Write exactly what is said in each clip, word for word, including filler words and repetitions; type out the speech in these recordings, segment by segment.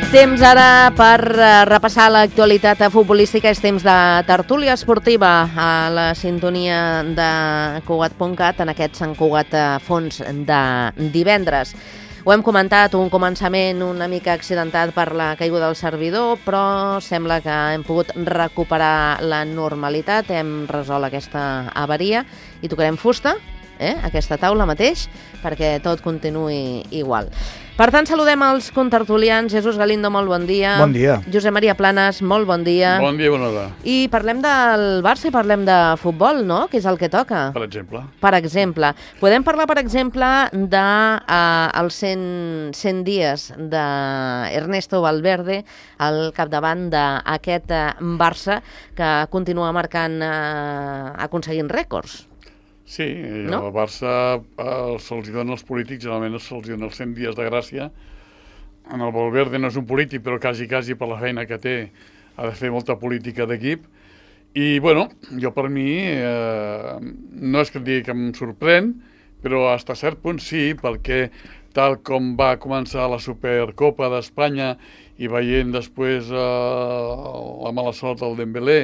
Temps ara per repassar l'actualitat futbolística, és temps de tertúlia esportiva a la sintonia de Cugat punt cat en aquest Sant Cugat Fons de divendres. Ho hem comentat, un començament una mica accidentat per la caiguda del servidor, però sembla que hem pogut recuperar la normalitat, hem resolt aquesta avaria i tocarem fusta, eh, aquesta taula mateix, perquè tot continuï igual. Per tant, saludem els contertulians. Jesús Galindo, molt bon dia. Bon dia. Josep Maria Planes, molt bon dia. Bon dia, bona hora. I parlem del Barça i parlem de futbol, no?, que és el que toca. Per exemple. Per exemple. Podem parlar, per exemple, de uh, els cent, cent dies d'Ernesto Valverde al capdavant d'aquest uh, Barça que continua marcant, uh, aconseguint rècords. Sí, no? El Barça eh, se'ls dona als polítics, generalment se'ls dona els cent dies de gràcia. En el Valverde no és un polític, però quasi, quasi per la feina que té ha de fer molta política d'equip. I, bueno, jo per mi, eh, no és que et digui que em sorprèn, però fins a cert punt sí, perquè tal com va començar la Supercopa d'Espanya i veient després eh, la mala sort del Dembélé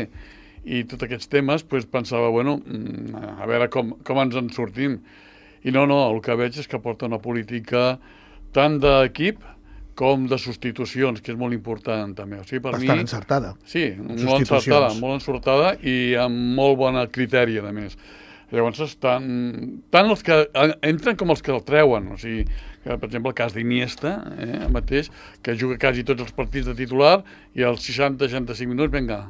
i tots aquests temes, doncs pensava, bueno, a veure com, com ens en sortim. I no, no, el que veig és que porta una política tant d'equip com de substitucions, que és molt important també. O sigui, per Bastant mi, encertada. Sí, molt encertada, molt encertada i amb molt bona criteri, a més. Llavors, estan, tant els que entren com els que el treuen. O sigui, que, per exemple, el cas d'Iniesta, eh, mateix, que juga quasi tots els partits de titular i als seixanta seixanta-cinc minuts, vinga,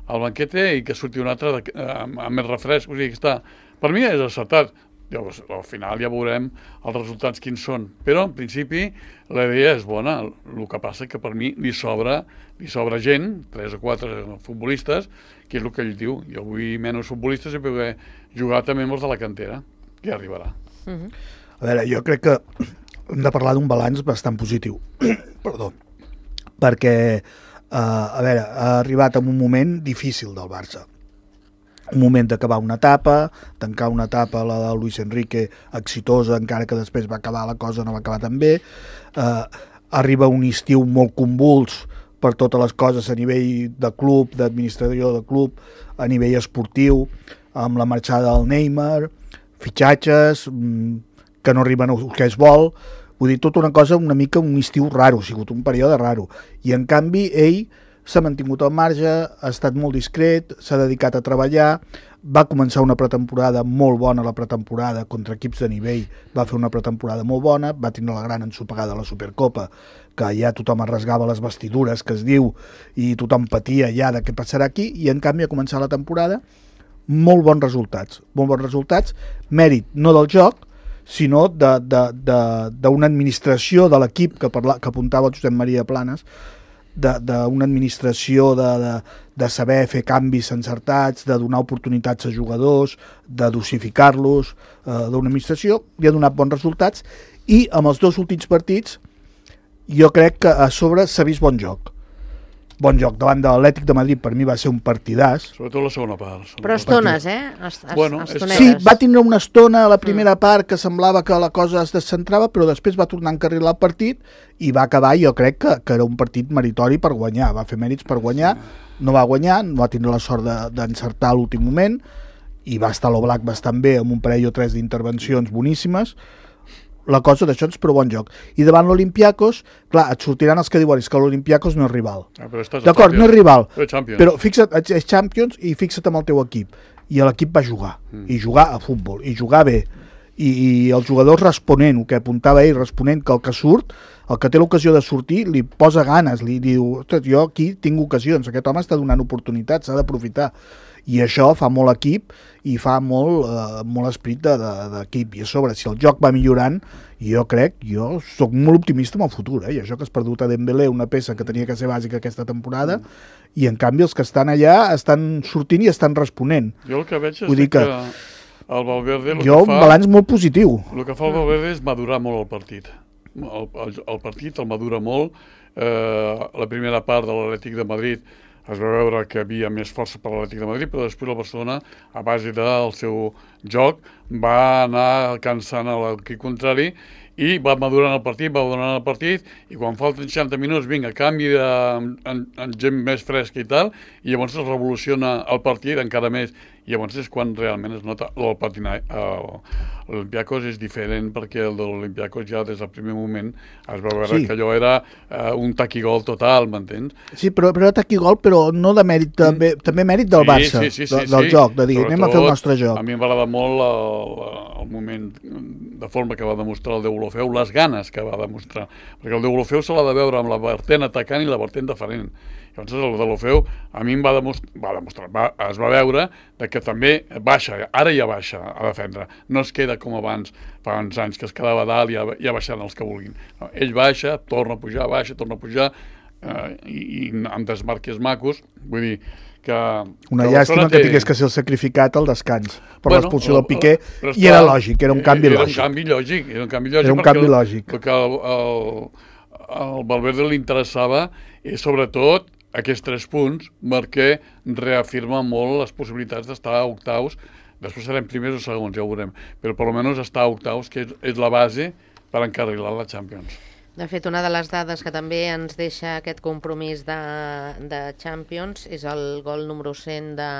al banquete i que surti un altre de, amb, amb més refresc. O sigui, que està, per mi és acertat. Llavors, al final ja veurem els resultats quins són. Però, en principi, la idea és bona. El que passa que per mi li sobra, li sobra gent, tres o quatre futbolistes, que és el que ell diu. Jo vull menys futbolistes i poder jugar també amb els de la cantera, que ja arribarà. Uh-huh. A veure, jo crec que hem de parlar d'un balanç bastant positiu. Perdó. Perquè Uh, a veure, ha arribat en un moment difícil del Barça. Un moment d'acabar una etapa, tancar una etapa, la de Luis Enrique, exitosa, encara que després va acabar la cosa, no va acabar tan bé. Uh, arriba un estiu molt convuls per totes les coses a nivell de club, d'administració de club, a nivell esportiu, amb la marxada del Neymar, fitxatges, que no arriben al que es vol. Vull dir, tota una cosa, una mica un estiu raro, ha sigut un període raro. I, en canvi, ell s'ha mantingut al marge, ha estat molt discret, s'ha dedicat a treballar, va començar una pretemporada molt bona, la pretemporada contra equips de nivell, va fer una pretemporada molt bona, va tenir la gran ensopegada a la Supercopa, que ja tothom es rasgava les vestidures, que es diu, i tothom patia ja de què passarà aquí, i, en canvi, a començar la temporada, molt bons resultats. Molt bons resultats, mèrit no del joc, sinó d'una administració de l'equip que, que apuntava el Josep Maria Planes, d'una administració de, de, de saber fer canvis encertats, de donar oportunitats a jugadors, de dosificar-los, eh, d'una administració, li ha donat bons resultats, i amb els dos últims partits jo crec que a sobre s'ha vist bon joc. Bon joc davant de l'Atlètic de Madrid, per mi va ser un partidàs. Sobretot la segona part. Segona Però estones, eh? Es, es, bueno, sí, va tindre una estona a la primera mm. part que semblava que la cosa es descentrava, però després va tornar a encarrilar el partit i va acabar, jo crec que, que era un partit meritori per guanyar, va fer mèrits per guanyar, no va guanyar, no va tindre la sort d'encertar a l'últim moment i va estar l'Oblak bastant bé amb un parell o tres d'intervencions boníssimes. La cosa d'això és prou bon joc. I davant l'Olympiacos, clar, et sortiran els que diuen que l'Olympiacos no és rival. Ah, d'acord, no és rival, però, però fixa't, és Champions i fixa't amb el teu equip. I l'equip va jugar, mm. i jugar a futbol, i jugar bé. I, i els jugadors responent, el que apuntava ell, responent que el que surt, el que té l'ocasió de sortir, li posa ganes, li diu, ostres, jo aquí tinc ocasions, aquest home està donant oportunitats, s'ha d'aprofitar. I això fa molt equip i fa molt, eh, molt esperit d'equip. De, I a sobre, si el joc va millorant, jo crec, jo sóc molt optimista amb el futur. Eh? I això que has perdut a Dembélé, una peça que tenia que ser bàsica aquesta temporada, mm. i en canvi els que estan allà estan sortint i estan responent. Jo el que veig és Vull dir que, que el Valverde... Jo que fa, un balanç molt positiu. El que fa el Valverde és madurar molt el partit. El, el, el partit el madura molt. Eh, la primera part de l'Atlètic de Madrid es va veure que hi havia més força per l'Atlètic de Madrid, però després la Barcelona, a base del seu joc, va anar cansant a l'equip contrari i va madurant el partit, va madurant el partit, i quan falten seixanta minuts, vinga, canvi de, en, en gent més fresca i tal, i llavors es revoluciona el partit encara més, i llavors és quan realment es nota el patinatge. L'Olympiacos és diferent perquè el de l'Olympiacos ja des del primer moment es va veure sí. que allò era uh, un taquigol total, m'entens? Sí, però, però taquigol, però no de mèrit, també, mm. també mèrit del sí, Barça, sí, sí, sí, de, del sí. joc, de dir, Sobretot, anem a fer el nostre joc. A mi m'agrada molt el, el moment de forma que va demostrar el Deulofeu, les ganes que va demostrar, perquè el Deulofeu se l'ha de veure amb la vertent atacant i la vertent defenent. Llavors el Deulofeu a mi em va demostrar, va demostrar va, es va veure de que també baixa, ara ja baixa a defendre, no es queda com abans, fa uns anys que es quedava dalt i ja, ja baixant els que vulguin. No, ell baixa, torna a pujar, baixa, torna a pujar, eh, i, i amb desmarques macos, vull dir que... Una que llàstima té... que tingués que ser el sacrificat al descans per bueno, l'expulsió del Piqué, esclar, i era lògic, era un canvi era lògic. Un canvi lògic era un canvi lògic, era un perquè, canvi lògic. perquè el, el, el Valverde li interessava, i sobretot aquests tres punts, perquè reafirma molt les possibilitats d'estar a octaus. Després serem primers o segons, ja ho veurem, però per almenys estar a octaus, que és, és la base per encarrilar la Champions. De fet, una de les dades que també ens deixa aquest compromís de, de Champions és el gol número cent de,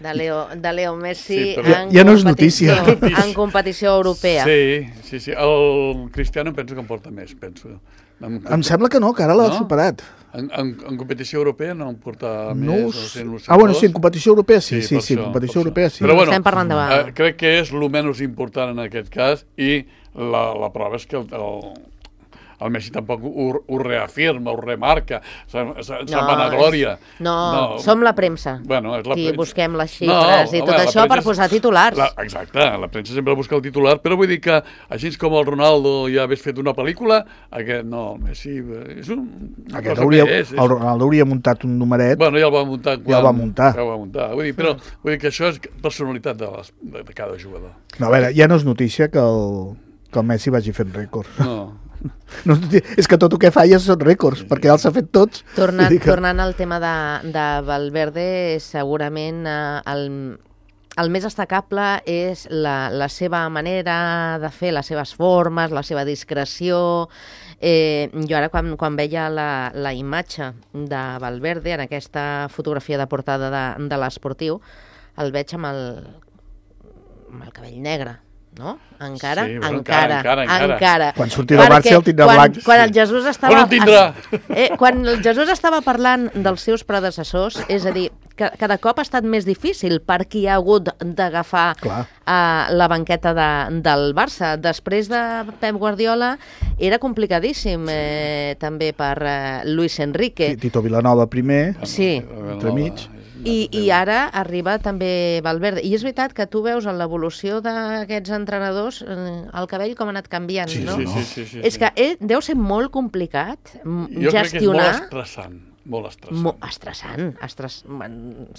de, Leo, de Leo Messi sí, en, ja no és notícia. en competició europea. Sí, sí, sí. El Cristiano penso que en porta més, penso. En, em sembla que no, que ara l'ha no? superat. En, en, en competició europea no en porta no més. Us... cent, ah, bueno, sí, en competició europea sí, sí, sí, sí això, en competició europea sí. Però bueno, estem parlant de... eh, crec que és el menys important en aquest cas, i la, la prova és que el, el, el Messi tampoc ho, ho reafirma, ho remarca, se'n no, vanaglòria. No, no, som la premsa, bueno, és la qui premsa. busquem les xifres no, i tot home, això per posar titulars. La, exacte, la premsa sempre busca el titular, però vull dir que així com el Ronaldo ja hagués fet una pel·lícula, aquest no, el Messi és un... Aquest hauria, és, és... El Ronaldo hauria muntat un numeret. Bueno, ja el va muntar. Quan, ja el va muntar. Ja el va muntar. Vull dir, però vull dir que això és personalitat de, les, de, de cada jugador. No, a veure, ja no és notícia que el, que el Messi vagi fent rècords. No. No, és que tot el que fa ja són rècords, sí, perquè ja els ha fet tots. Tornant, que... tornant al tema de, de Valverde, segurament eh, el, el més destacable és la, la seva manera de fer, les seves formes, la seva discreció. Eh, jo ara quan, quan veia la, la imatge de Valverde en aquesta fotografia de portada de, de l'Esportiu, el veig amb el, amb el cabell negre. No? Encara? Sí, bueno, encara, encara, encara, encara. Quan surti del Barça el tindrà quan, blanc. Quan el Jesús estava... Quan el tindrà? Eh, quan el Jesús estava parlant dels seus predecessors, és a dir, que cada cop ha estat més difícil per qui ha hagut d'agafar uh, la banqueta de, del Barça. Després de Pep Guardiola era complicadíssim eh, també per uh, Luis Enrique. Sí, Tito Vilanova primer, sí. entremig. I, I ara arriba també Valverde. I és veritat que tu veus en l'evolució d'aquests entrenadors el cabell com ha anat canviant, sí, no? Sí, sí, sí, sí, és sí. que eh, deu ser molt complicat jo gestionar... crec que és molt estressant. Molt estressant. Mo estressant, estress...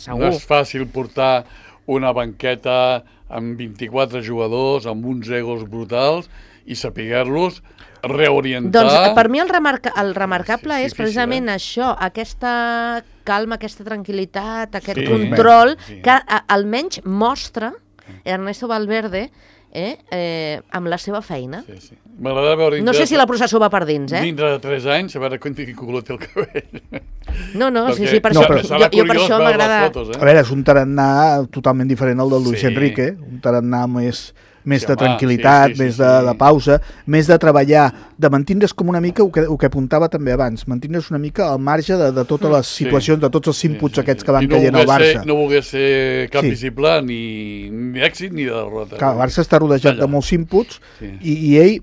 segur. No és fàcil portar una banqueta amb vint-i-quatre jugadors, amb uns egos brutals, i saber-los reorientar... Doncs per mi el, remarca el remarcable sí, és precisament eh? això, aquesta calma, aquesta tranquil·litat, aquest sí, control, sí. que a, almenys mostra Ernesto Valverde eh, eh, amb la seva feina. Sí, sí. M'agrada veure... No sé si la processó va per dins, eh? Dintre de tres anys, a veure quan tingui color té el cabell. No, no, perquè, sí, sí, per no, això, però... jo, jo per això m'agrada... Eh? A veure, és un tarannà totalment diferent al del Luis sí. Enrique, un tarannà més... més sí, de tranquil·litat, sí, sí, sí, més de, sí. de pausa, més de treballar, de mantindre's com una mica, el que, el que apuntava també abans, mantindre's una mica al marge de, de totes les situacions, sí. de tots els inputs sí, sí, aquests que van no caient al Barça. Ser, no volgués ser cap sí. visible ni, ni èxit ni de derrota. Clar, el Barça està rodejat allà de molts inputs sí. i, i ell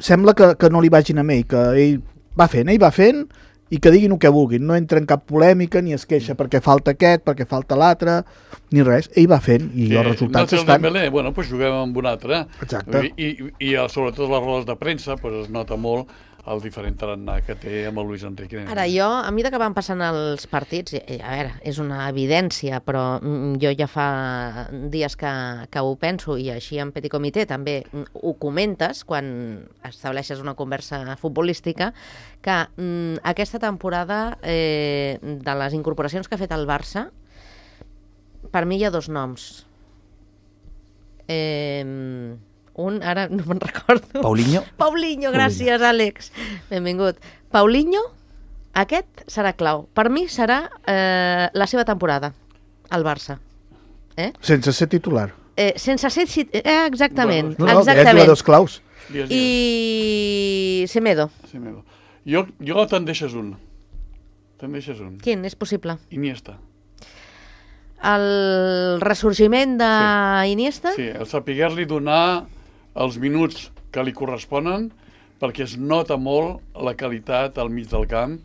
sembla que, que no li vagin amb ell, que ell va fent, ell va fent i que diguin el que vulguin, no entra en cap polèmica ni es queixa perquè falta aquest, perquè falta l'altre, ni res. Ell va fent i sí, els resultats no estan... Dembélé, bueno, doncs juguem amb un altre. Exacte. I, i, i sobretot les rodes de premsa pues, es nota molt el diferent tarannà que té amb el Luis Enrique. Ara, jo, a mesura que van passant els partits, a veure, és una evidència, però jo ja fa dies que, que ho penso, i així en Petit Comitè també ho comentes quan estableixes una conversa futbolística, que mm, aquesta temporada, eh, de les incorporacions que ha fet el Barça, per mi hi ha dos noms. Eh, Un, ara no me'n recordo. Paulinho. Paulinho, gràcies, Àlex. Benvingut. Paulinho, aquest serà clau. Per mi serà eh, la seva temporada, al Barça. Eh? Sense ser titular. Eh, sense ser... Eh, exactament. No, no, exactament. hi ha jugadors claus. I... Semedo. Semedo. Jo, jo te'n deixes un. Te'n deixes un. Quin? És possible? Iniesta. El ressorgiment d'Iniesta? Sí, el saber-li donar els minuts que li corresponen, perquè es nota molt la qualitat al mig del camp,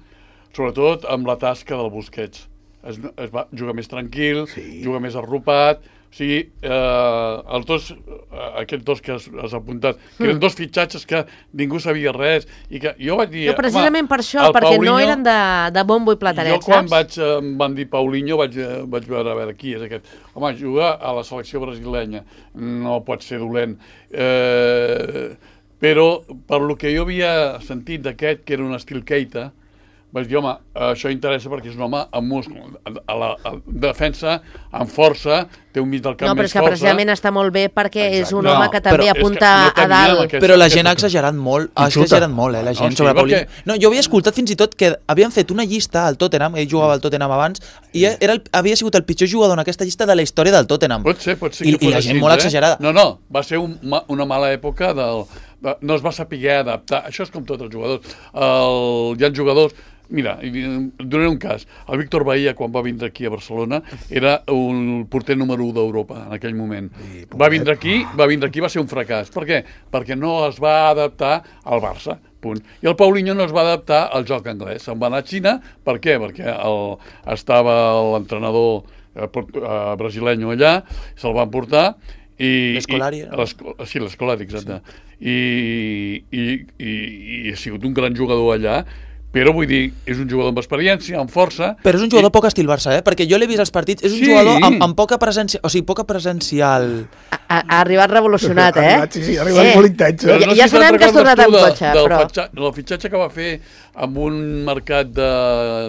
sobretot amb la tasca del Busquets. Es, es va jugar més tranquil, sí. Juga més arropat, o sigui, eh, els dos, eh, aquests dos que has, has apuntat, que eren dos fitxatges que ningú sabia res, i que jo vaig dir... Jo precisament per això, perquè Paulinho, no eren de, de bombo i platanet, jo quan saps? vaig, eh, em van dir Paulinho vaig, eh, vaig veure, a veure, qui és aquest? Home, juga a la selecció brasilenya, no pot ser dolent. Eh, però per lo que jo havia sentit d'aquest, que era un estil Keita, vaig dir, home, això interessa perquè és un home amb múscul, a la a defensa, amb força, té un mig del camp no, però més és que força. precisament està molt bé perquè Exacte. és un no, home que també apunta no a dalt. Aquesta, però la gent ha exagerat molt, ha exagerat molt, eh, la gent no, sí, sobre perquè... Paulinho. No, jo havia escoltat fins i tot que havien fet una llista al Tottenham, ell jugava al Tottenham abans, i era el, havia sigut el pitjor jugador en aquesta llista de la història del Tottenham. Pot ser, pot ser I, que fos i la així, gent molt eh? exagerada. No, no, va ser un, una mala època del... No es va saber adaptar. Això és com tots els jugadors. El, hi ha jugadors... Mira, donaré un cas. El Víctor Bahía, quan va vindre aquí a Barcelona, era un porter número u d'Europa en aquell moment. Va vindre aquí, va vindre aquí, va ser un fracàs. Per què? Perquè no es va adaptar al Barça, punt. I el Paulinho no es va adaptar al joc anglès. Se'n va anar a Xina, per què? Perquè el, estava l'entrenador eh, brasileño allà, se'l van portar, i... L'Escolari. I, sí, l'Escolari, exacte. I, i, i, i ha sigut un gran jugador allà, però vull dir, és un jugador amb experiència, amb força... Però és un jugador i... poc estil Barça, eh? Perquè jo l'he vist als partits, és un sí. jugador amb, amb poca presència, o sigui, poca presencial... Ha, ha arribat revolucionat, eh? Ha arribat, sí, sí, ha arribat eh. molt intens. Ja, no ja si sabem que has tornat amb cotxe, del però... Fitxa, el fitxatge que va fer amb un mercat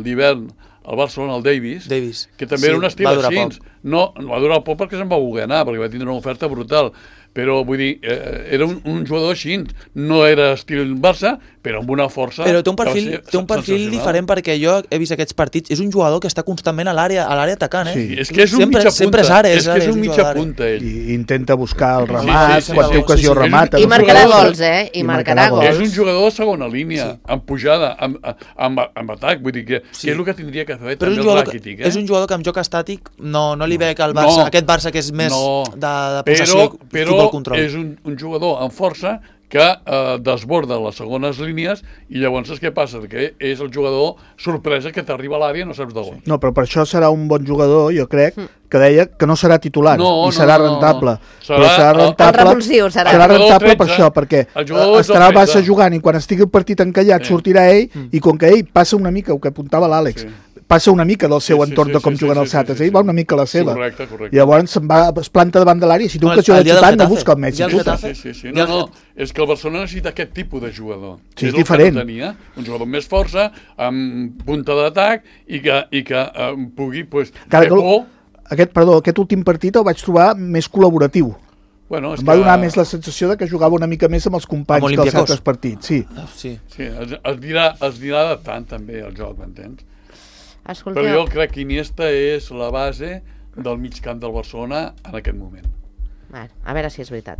d'hivern al Barcelona, el Davis, Davis. que també Sí, era un estil va durar així. poc. No, no va durar poc perquè se'n va voler anar, perquè va tindre una oferta brutal. Però, vull dir, eh, era un, un jugador així, no era estil Barça, però amb una força... Però té un perfil, té un perfil diferent, perquè jo he vist aquests partits, és un jugador que està constantment a l'àrea a l'àrea atacant, eh? Sí. És que és un sempre, mitja punta, sempre és ara, és, que és un mitja jugador punta, ell. I intenta buscar el Sí, remat, sí, sí, quan sí, té ocasió sí, sí. remata. I no marcarà sé. gols, eh? I marcarà gols. És un jugador de segona línia, sí. amb pujada, amb, amb, amb atac, vull dir que, Sí. que és el que tindria que fer Però és també un, el jugador, Rakitic, que, eh? és un jugador que amb joc estàtic no, no li veig al Barça, No. aquest Barça que és més No. de, de possessió, però, però futbol control. és un, un jugador amb força que eh, desborda les segones línies i llavors és què passa? Que és el jugador sorpresa que t'arriba a l'àrea i no saps d'on. No, però per això serà un bon jugador, jo crec, que deia que no serà titular No, i no, serà no, no. rentable. Serà Però serà el- rentable, el revulsiu, serà. serà El jugador rentable per tretze, això, perquè el jugador estarà el del Barça tretze. jugant i quan estigui el partit encallat Sí. sortirà ell i com que ell passa una mica, el que apuntava l'Àlex, Sí. passa una mica del seu Sí, sí, entorn sí, de com sí, juguen sí, els sí, altres, sí, ell sí. va una mica a la seva. Correcte, correcte. I llavors se'n va, es planta davant de l'àrea i si té No, ocasió el de dia del xutar, no Getafe. busca el Messi. El dia del xuta. Getafe. Sí, sí, sí. I No, el no, és que el Barcelona necessita aquest tipus de jugador. Sí, és el que diferent. no tenia, un jugador amb més força, amb punta d'atac i que, i que eh, pugui pues, Encara fer que el- por. Aquest, perdó, aquest últim partit el vaig trobar més col·laboratiu. Bueno, és Em va que, donar més la sensació de que jugava una mica més amb els companys Amb que els Olympiacos. altres partits. Sí. Ah, sí. Sí, es, es, dirà, es dirà adaptant també el joc, m'entens? Escolteu, Però jo crec que Iniesta és la base del mig camp del Barcelona en aquest moment. bueno, a veure si és veritat.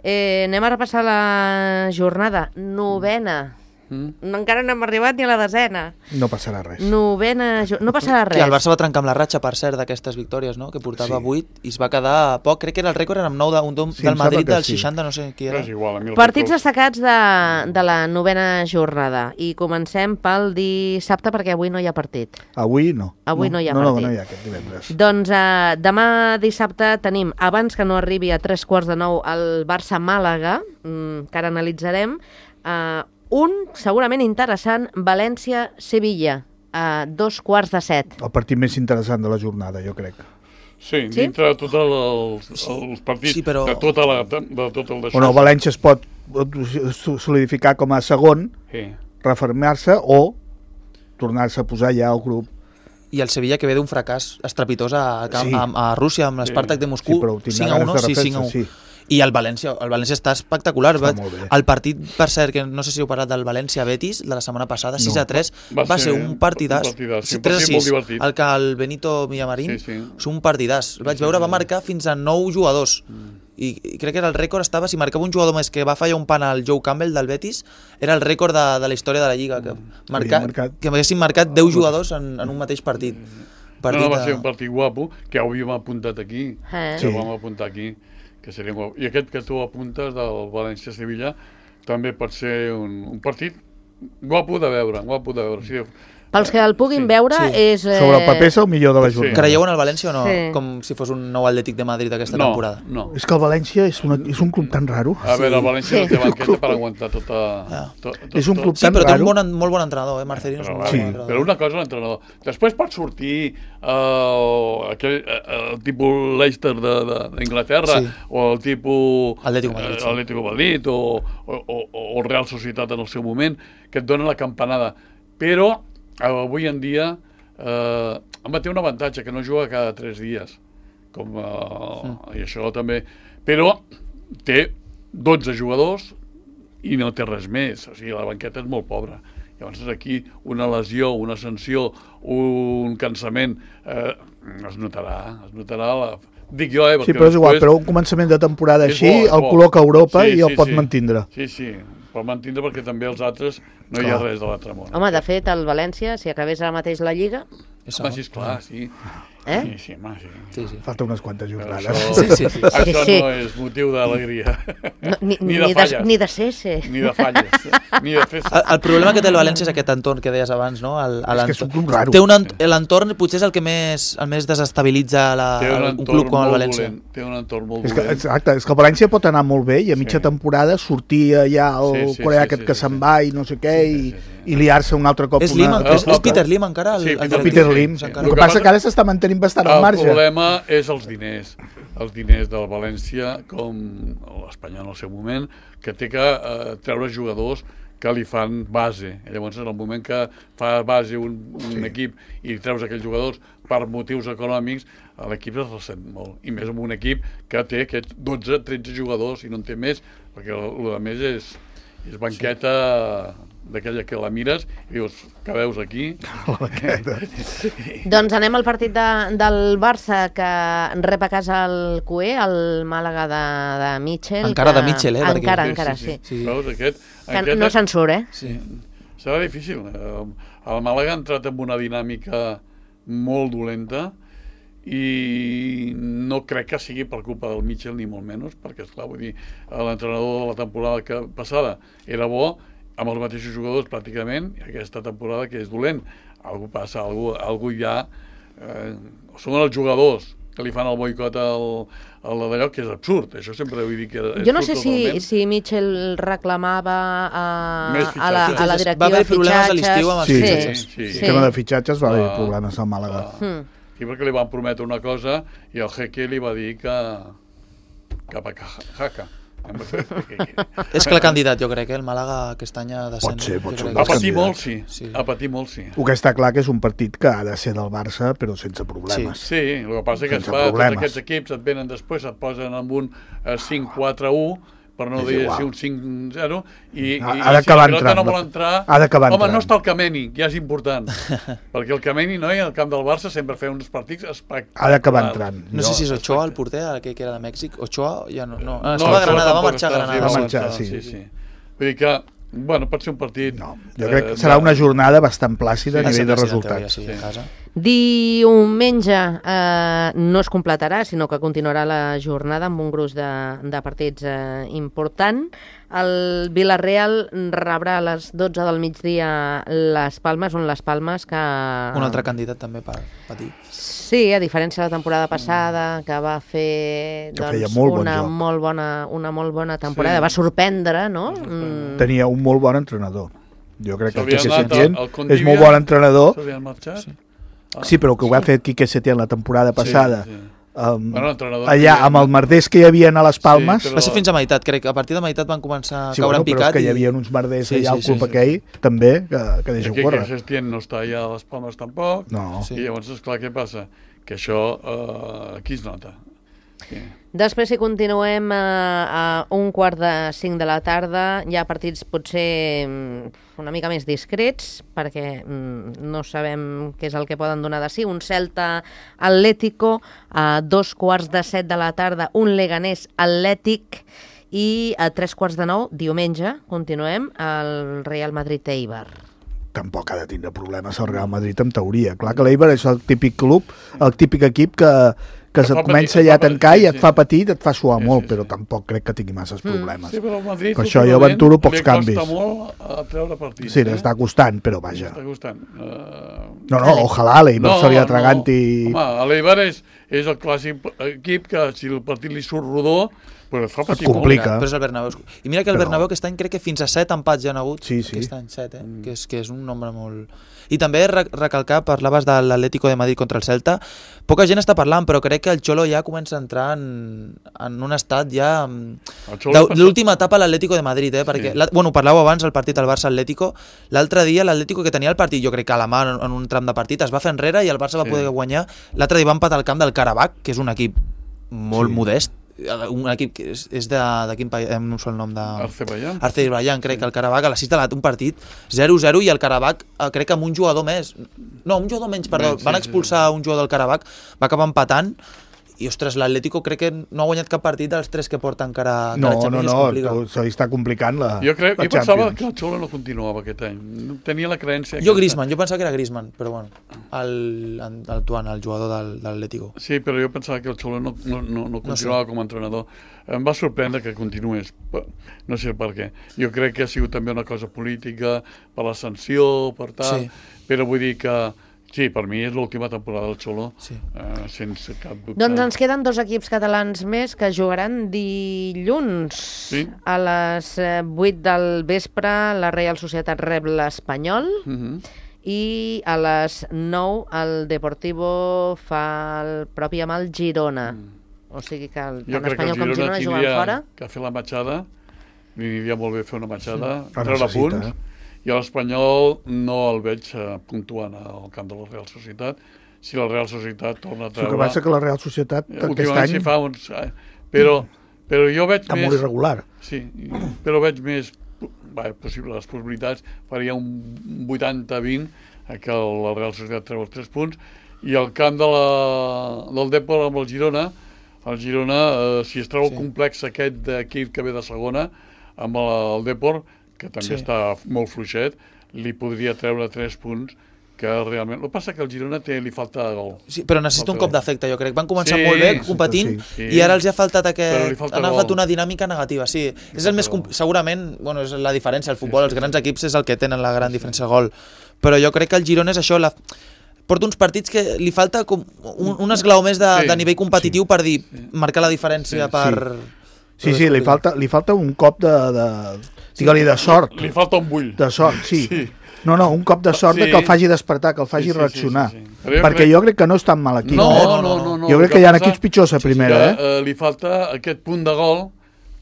Eh, anem a repassar la jornada. Novena. Mm? No, encara no hem arribat ni a la desena. No passarà res. Novena... jo- No passarà res. Que el Barça va trencar amb la ratxa, per cert, d'aquestes victòries, no? Que portava Sí. vuit i es va quedar a poc. Crec que era el rècord, era amb nou de, un, Sí, del em Madrid sembla que del sí. seixanta, no sé qui Però era. és igual, a mi el Partits records- destacats de, de la novena jornada. I comencem pel dissabte, perquè avui no hi ha partit. Avui no. Avui no hi ha no, partit. No, no hi ha aquest divendres. Doncs eh, demà dissabte tenim, abans que no arribi a tres quarts de nou, el Barça-Màlaga, mm, que ara analitzarem, eh, un segurament interessant, València-Sevilla, a dos quarts de set. El partit més interessant de la jornada, jo crec. Sí, Sí? dintre de tots els, els partits, Sí, però- de, tota la, de tot el d'això. On el València es pot solidificar com a segon, Sí. refermar-se o tornar-se a posar ja al grup. I el Sevilla, que ve d'un fracàs estrepitós a, a, Sí. a, a Rússia, amb l'Spartak de Moscú, Sí, però ho tindrà cinc a u, ganes no? de Sí, refer-se, cinc a u. sí. I el València, el València està espectacular. Està Va, molt bé. el partit, per cert, que no sé si heu parlat del València-Betis, de la setmana passada, sis a tres, Va va, ser ser un partidàs. un partidàs, sí, un tres a partit molt sis, divertit. el que el Benito Villamarín, Sí, sí. és un partidàs. El vaig Sí, veure, sí. va marcar fins a nou jugadors. I, I crec que era el rècord, estava, si marcava un jugador més que va fallar un pan al Joe Campbell del Betis, era el rècord de, de la història de la Lliga, que, marca, marcat- que haguessin marcat deu jugadors en, en un mateix partit. No, no, va de- ser un partit guapo, que ho havíem apuntat aquí, Eh? que Sí. ho vam apuntar aquí, que seria guapo. I aquest que tu apuntes del València-Sevilla també pot ser un, un partit guapo de veure, guapo de veure. Sí, Pels que el puguin Sí. veure Sí. és... Eh... Sobre el paper és el millor de la Sí. jornada. Creieu en el València o no? Sí. Com si fos un nou Atlètic de Madrid aquesta no, temporada. no. És que el València és, una, és un club tan raro. A veure, el València Sí. no té banqueta per aguantar tota... Ja. Tot, tot, És un club Sí, tan però té raro. un bon, molt bon entrenador, eh, Marcelino? és un Però, molt Sí. bon entrenador. però una cosa, l'entrenador. Després pot sortir el, aquell, el tipus Leicester d'Inglaterra Sí. o el tipus Atlético Madrid, sí. eh, Atlético Madrid o, o, o, o Real Societat en el seu moment, que et donen la campanada. Però avui en dia eh, home, té un avantatge, que no juga cada tres dies, com, eh, mm. i això també, però té dotze jugadors i no té res més, o sigui, la banqueta és molt pobra. Llavors aquí una lesió, una sanció, un cansament, eh, es notarà, es notarà la... Dic jo, eh? Sí, però és igual, però un començament de temporada És així bo, és el bo. col·loca a Europa Sí, i el sí, pot sí. mantindre. Sí, sí, pot mantindre perquè també els altres no hi ha Clar. res de l'altre món. Home, de fet, el València, si acabés ara mateix la Lliga... És Home, segon. sí, esclar, sí. Eh? Sí, sí, home, sí. Sí, sí. Falta unes quantes Però jornades. això, Sí, sí, sí. això Sí, sí. no és motiu d'alegria. No, ni, ni ni, de de, falles. ni de cese. Ni de falles, ni de festes. El, el problema que té el València és aquest entorn que deies abans, no? El, És que és un club raro. Té un ent l'entorn potser és el que més, el més desestabilitza la, Té un el, un entorn club com el molt València. dolent. Té un entorn molt És que, dolent. exacte, és que el València pot anar molt bé i a mitja Sí. temporada sortir ja el Sí, sí, coreà sí, aquest sí, que sí, se'n sí. va i no sé què Sí, i, sí, sí. i liar-se un altre cop. És, una, Lim, una- és, és Peter Lim encara? El, Sí, el Peter directiu? Peter Sí, Lim. sí. El El que que passa passa- que ara s'està mantenint bastant al El marge. problema és els diners. Els diners del València, com l'Espanyol en el seu moment, que té que eh, treure jugadors que li fan base. I llavors, en el moment que fa base un, un Sí. equip i treus aquells jugadors per motius econòmics, l'equip es ressent molt. I més amb un equip que té aquests dotze tretze jugadors i no en té més, perquè el, el més és, és banqueta d'aquella que la mires i dius, què veus aquí? Doncs anem al partit de, del Barça, que rep a casa el Cué, el Màlaga de, de Mitchell. Encara que... de Mitchell, eh, perquè- Encara, encara, sí. Sí. Veus, aquest, Que aquest no se'n surt, eh? Sí. serà difícil. Eh, El Màlaga ha entrat en una dinàmica molt dolenta i no crec que sigui per culpa del Mitchell ni molt menys, perquè esclar, vull dir, l'entrenador de la temporada que passada era bo, amb els mateixos jugadors pràcticament, i aquesta temporada que és dolent. Algú passa, algú, algú ja... Eh, són els jugadors que li fan el boicot al, al d'allò, que és absurd. Això sempre vull dir que és Jo no sé absurd si, totalment. si Mitchell reclamava a, Més a, la, a la fitxatges. directiva Va haver de problemes a fitxatges. l'estiu amb els Sí. fitxatges. Sí, sí. El tema de fitxatges va haver Ah. problemes al Màlaga. Mm. Sí, perquè li van prometre una cosa i el Jeque li va dir que cap a Jaca. És clar candidat, jo crec, eh? El Màlaga aquest any ha de ser... Pot ser, pot ser un A dels patir candidats. molt, sí. Sí. A patir molt, sí. El que està clar que és un partit que ha de ser del Barça, però sense problemes. Sí, el que passa és que Sense es fa, tots problemes. aquests equips et venen després, et posen amb un eh, cinc quatre u, per no És dir igual. si un cinc zero, i, Ha- i, ha i d'acabar si la pilota entrant. no vol entrar... Ha d'acabar Home, entrant. no està el Kameni, ja és important. Perquè el Kameni, no, al camp del Barça sempre feia uns partits espectaculars. Ha d'acabar entrant. No sé si és Ochoa el porter, aquell que era de Mèxic. Ochoa ja no... no. Ah, No, estava a Ochoa Granada, va tampoc marxar a està, Granada. va sí, marxar, sí. sí. sí, sí. Vull dir que, bueno, pot ser un partit... No, jo crec que eh, serà de- una jornada bastant plàcida a Va ser nivell de president, en teoria, resultats. Sí, Sí. a casa. Diumenge eh, no es completarà, sinó que continuarà la jornada amb un gruix de, de partits eh, important. El Villarreal rebrà a les dotze del migdia les Palmes, on les Palmes que... Un altre candidat també per patir. Sí, a diferència de la temporada passada, que va fer Que feia doncs, molt bon una, joc. molt bona, una molt bona temporada. Sí. Va sorprendre, no? Mm. Tenia un molt bon entrenador. Jo crec que el S'havia Quique anat Setién al- al és Condivia. molt bon entrenador. S'havien marxat? Sí. Ah, Sí, però el que ho ha fet Quique Setién la temporada passada, Sí, sí. um, Bueno, l'entrenador allà que- amb el merders que hi havia a les Palmes, Sí, però- Va ser fins a meitat, crec. A partir de meitat van començar a sí, caure bueno, en però és picat. que hi i- havia uns merders Sí, allà sí, al sí, club sí. aquell, també, que, que deixa que, córrer. que Sestien no està allà a les Palmes tampoc. No. Sí. I llavors, esclar, què passa? Que això eh, aquí es nota. Sí. Després, si continuem a, a un quart de cinc de la tarda, hi ha partits potser una mica més discrets, perquè mm, no sabem què és el que poden donar de si. Un Celta Atlético, a dos quarts de set de la tarda, un Leganés Atlètic, i a tres quarts de nou, diumenge, continuem, el Real Madrid-Eibar. Tampoc ha de tindre problemes el Real Madrid, en teoria. Clar que l'Eibar és el típic club, el típic equip que, que se't comença ja a tancar i et fa petit, et fa suar molt, però tampoc crec que tingui masses problemes. Sí, però el Madrid, per això jo aventuro pocs canvis. Li costa molt a treure partit. Sí, l'està costant, però vaja. Està costant. Uh... No, no, ojalà l'Eibar se li atraganti... No, home, l'Eibar és, és el clàssic equip que si el partit li surt rodó, però et fa patir et complica. Molt. Però és el Bernabéu. I mira que el però... Bernabéu aquest any crec que fins a set empats ja han hagut. Sí, sí. Aquest any set, eh? Mm. Que, és, que és un nombre molt... I també recalcar, parlaves de l'Atlético de Madrid contra el Celta, poca gent està parlant, però crec que el Xolo ja comença a entrar en, en un estat ja... De l'última etapa a l'Atlético de Madrid, eh? Perquè, sí. Bueno, parlàveu abans del partit al Barça-Atlético, l'altre dia l'Atlético que tenia el partit, jo crec que a la mà en un tram de partit, es va fer enrere i el Barça va poder sí. guanyar. L'altre dia va empatar al camp del Karabakh, que és un equip molt sí. modest, un equip que és, és de, de quin país, no sé el nom de... Azerbaiyán. Azerbaiyán, crec sí. que el Karabakh a la sis de la un partit zero zero i el Karabakh crec que amb un jugador més, no, un jugador menys, perdó, sí, van expulsar sí, sí. un jugador del Karabakh, va acabar empatant i, ostres, l'Atlético crec que no ha guanyat cap partit dels tres que porta encara no, que no, no, no, se li està complicant la Jo, crec, la jo pensava que el Xolo no continuava aquest any, tenia la creença jo Griezmann, jo pensava que era Griezmann, però bueno el, el Tuan, el jugador del, de l'Atlético sí, però jo pensava que el Xolo no, no, no, no continuava no sé. com a entrenador. Em va sorprendre que continués, no sé per què. Jo crec que ha sigut també una cosa política, per la sanció, per tal, sí. però vull dir que sí, per mi és l'última temporada del Xolo, sí. eh, sense cap dubte. Doncs ens queden dos equips catalans més que jugaran dilluns. Sí. A les vuit del vespre la Real Societat rep l'Espanyol uh-huh. i a les nou el Deportivo fa el propi amb el Girona. Mm. O sigui que el, tant Espanyol com Girona juguen fora. Que fer la matxada, li aniria molt bé fer una matxada, sí. treure punts, eh? I l'Espanyol no el veig puntuant al camp de la Real Societat. Si la Real Societat torna a treure... El que passa que la Real Societat aquest any... Si fa uns, però, però jo veig està més... molt irregular. Sí, però veig més... Bé, possible, les possibilitats, faria un vuitanta vint que la Real Societat treu els tres punts, i el camp de la, del Depor amb el Girona, el Girona, eh, si es treu sí. el complex aquest d'equip que ve de segona, amb el, el Depor, que també sí. està molt fluixet, li podria treure tres punts, que realment... El que passa que el Girona té, li falta gol. Sí, però necessita un cop d'efecte, jo crec. Van començar sí, molt bé, competint, sí. i ara els ha faltat aquest... Han agafat una dinàmica negativa, sí. Li és el més... Comp... Segurament, bueno, és la diferència, el futbol, sí, sí, els grans sí. equips és el que tenen la gran sí. diferència de gol. Però jo crec que el Girona és això, la... porta uns partits que li falta com un, un esglau més de, sí, de nivell competitiu sí, per dir, sí. marcar la diferència sí, per... Sí, sí, sí li, falta, li falta un cop de... de digue-li de sort. Li falta un bull. De sort, sí. sí. No, no, un cop de sort sí. de que el faci despertar, que el faci sí, sí, reaccionar. Sí, sí, sí. Jo Perquè crec... jo crec que no és tan mal equip. No, eh? no, no, no, no. Jo crec que, que hi ha equips pitjors a primera. Sí, que, eh? Eh, li falta aquest punt de gol,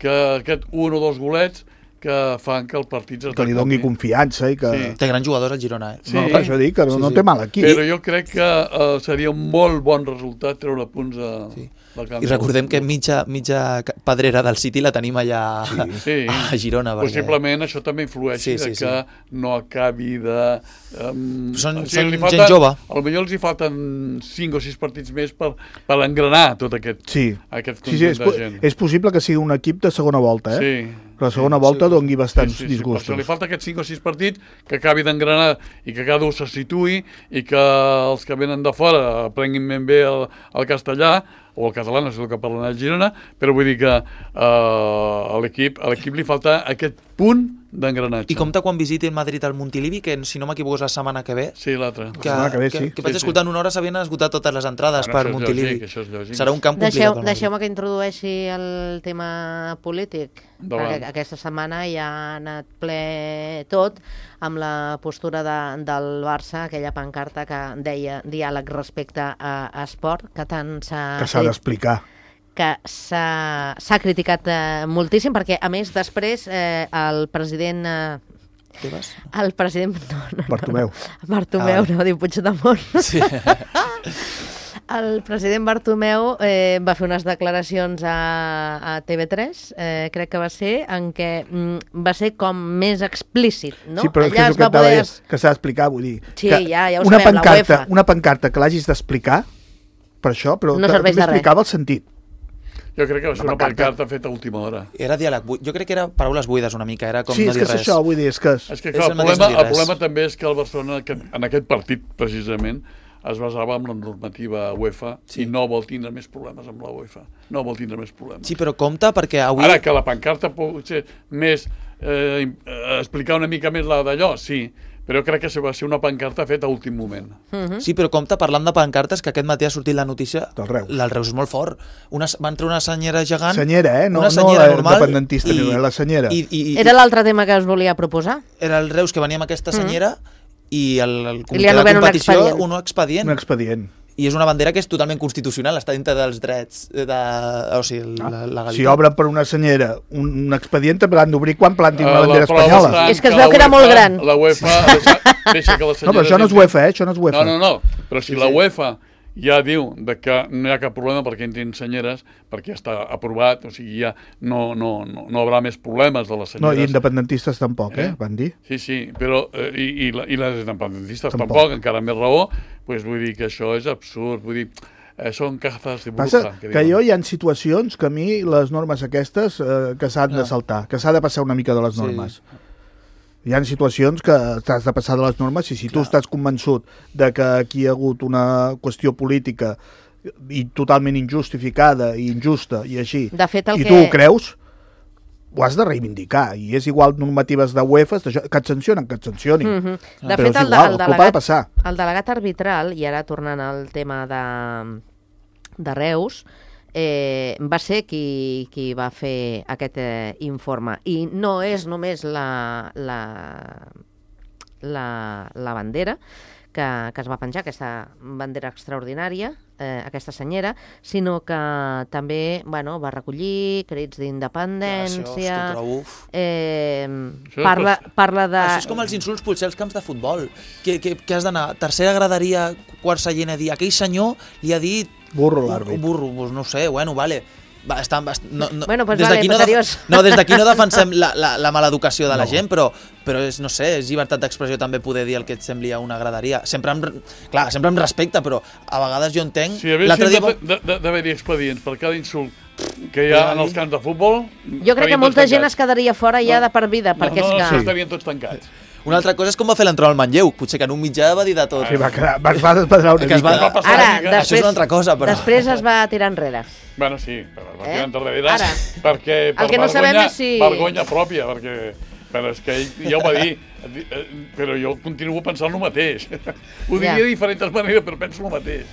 que aquest un o dos golets, que fan que el partit es que li doni confiança i que... Sí. Té grans jugadors al Girona, eh? Sí. No, per això dic que no, sí, sí. no té mal equip. Però jo crec que uh, seria un molt bon resultat treure punts a... Sí. I recordem que mitja, mitja pedrera del City la tenim allà sí. a Girona. Perquè... Possiblement això també influeix sí, sí, de que sí. no acabi de... Um, són o sigui, són falten, gent jove. Potser els hi falten cinc o sis partits més per, per engranar tot aquest, sí. aquest conjunt sí, sí, és, de gent. És possible que sigui un equip de segona volta, eh? Sí. Però la segona volta sí. doni bastants sí, sí, sí. disgustos. Per això li falta aquests cinc o sis partits que acabi d'engranar i que cada un se situï i que els que venen de fora aprenguin ben bé el, el castellà o el català, no sé el que parlen a Girona, però vull dir que uh, a l'equip a l'equip li falta aquest punt d'engranatge. I compta quan visiti el Madrid al Montilivi, que si no m'equivoco és la setmana que ve. Sí, l'altra. Que, la setmana que ve, que, sí. que, que vaig sí, escoltar en una hora s'havien esgotat totes les entrades bueno, per Montilivi. Lògic, això és lògic. Serà un camp Deixeu, complicat. Deixeu-me que introdueixi el tema polític. Davant. Perquè aquesta setmana ja ha anat ple tot amb la postura de, del Barça, aquella pancarta que deia diàleg respecte a, a esport, que tant s'ha... Que s'ha d'explicar. que s'ha criticat eh, moltíssim, perquè a més després eh, el president... Eh, Tebas? El president... No, no, Bartomeu. No, no. Bartomeu, ah, no, diu Puigdemont. Sí. El president Bartomeu eh, va fer unes declaracions a, a T V tres, eh, crec que va ser, en què mm, va ser com més explícit, no? Sí, però és que és el que, poder... que s'ha d'explicar, vull dir. Sí, que ja, ja ho una sabem, pancarta, la UEFA. Una pancarta que l'hagis d'explicar, per això, però no serveix de res. explicava el sentit. Jo crec que va ser una pancarta feta a última hora. Era diàleg buit. Jo crec que era paraules buides una mica, era com sí, no dir res. Sí, és que és això, vull dir, és que... És, és que clar, és el el, problema, mateix el problema també és que el Barcelona, en aquest partit, precisament, es basava en la normativa UEFA sí. i no vol tindre més problemes amb la UEFA. No vol tindre més problemes. Sí, però compte perquè avui... Ara, que la pancarta pot ser més... Eh, explicar una mica més la d'allò, sí, però crec que va ser una pancarta feta a últim moment. Uh-huh. Sí, però compte, parlant de pancartes, que aquest matí ha sortit la notícia... Del Reus. Del Reus és molt fort. Una, va entrar una senyera gegant... Senyera, eh? No, una senyera no normal, independentista, i, la senyera. I, i, i, Era l'altre tema que us volia proposar? Era el Reus que venia amb aquesta senyera mm. i el, el comitè I de competició un expedient. un expedient. Un expedient. I és una bandera que és totalment constitucional, està dintre dels drets de... O sigui, ah, la legalitat. Si obren per una senyera un, un expedient, també l'han d'obrir quan plantin uh, una bandera la espanyola. És que es veu que era molt gran. La UEFA deixa, deixa que la senyera... No, però això no és UEFA, eh? Això no és UEFA. No, no, no. Però si sí, la UEFA ja diu de que no hi ha cap problema perquè entrin senyeres, perquè ja està aprovat, o sigui, ja no, no, no, no haurà més problemes de les senyeres. No, i independentistes tampoc, eh? eh? Van dir. Sí, sí, però eh, i, i, la, i les independentistes tampoc, tampoc encara més raó, pues, vull dir que això és absurd, vull dir, eh, són cazas de bruja. Passa que, que jo hi ha situacions que a mi les normes aquestes eh, que s'han no. de saltar, que s'ha de passar una mica de les normes. Sí. Hi ha situacions que t'has de passar de les normes i si tu Clar. estàs convençut de que aquí hi ha hagut una qüestió política i totalment injustificada i injusta i així, de fet, i que... tu ho creus, ho has de reivindicar. I és igual normatives de UEFA, que et sancionen, que et sancionin. Mm -hmm. De Però fet, és el, igual, el, el delegat, de passar. el delegat arbitral, i ara tornant al tema de, de Reus, Eh, va ser qui, qui va fer aquest eh, informe i no és només la, la, la, la bandera que, que es va penjar, aquesta bandera extraordinària, eh, aquesta senyera, sinó que també bueno, va recollir crits d'independència, eh, parla, parla de... Això és com els insults potser als camps de futbol, que, que, que has d'anar tercera graderia, quart seient a dir, aquell senyor li ha dit burro l'àrbit. Burro, pues no sé, bueno, vale. Va, està, no, no, bueno, pues des vale, no, def no, des d'aquí no defensem la, la, la mala educació de la no. gent, però, però és, no sé, és llibertat d'expressió també poder dir el que et sembli a una graderia. Sempre amb, clar, sempre amb respecte, però a vegades jo entenc... Si hi hagués dia... d'haver-hi expedients per cada insult que hi ha en els camps de futbol... Jo crec que molta gent es quedaria fora ja de per vida, perquè no, no, és no, que... No, estarien tots tancats. Una altra cosa és com va fer l'entrada al Manlleu. Potser que en un mitjà va dir de tot. Sí, va, quedar, va, va despadrar una mica. Va, va passar Ara, mica. després, Això és una altra cosa, però... Després es va tirar enrere. Bueno, sí, però es va Eh? tirar enrere Ara. perquè per El que no sabem vergonya, és si- vergonya pròpia, perquè... Però és que ell ja ho va dir, però jo continuo pensant el mateix. Ho diria Ja. de diferents maneres, però penso el mateix.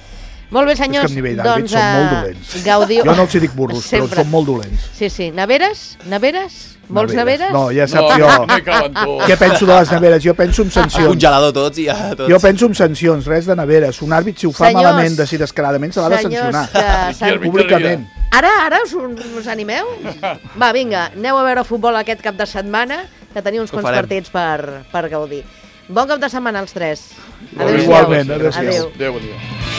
Molt bé, És que senyors, a nivell d'àrbits doncs... són molt eh, dolents. Gaudiu... Jo no els hi dic burros, Sempre. però són molt dolents. Sí, sí. Neveres? Neveres? Vols neveres? No, ja No, saps no, jo. no hi caben tots. Què penso de les neveres? Jo penso en Un sancions. congelador tots i ja tots. Jo penso en sancions, res de neveres. Un àrbit, si ho fa Senyors, malament, de si descaradament, se l'ha de senyors sancionar. que Aquí s'han- arbitreria. Públicament. Ara, ara us, us animeu? Va, vinga, aneu a veure futbol aquest cap de setmana, que teniu uns Ho quants farem. partits per, per gaudir. Bon cap de setmana als tres. Adéu-siau. Igualment, adéu-siau. Adéu. Adéu, adéu.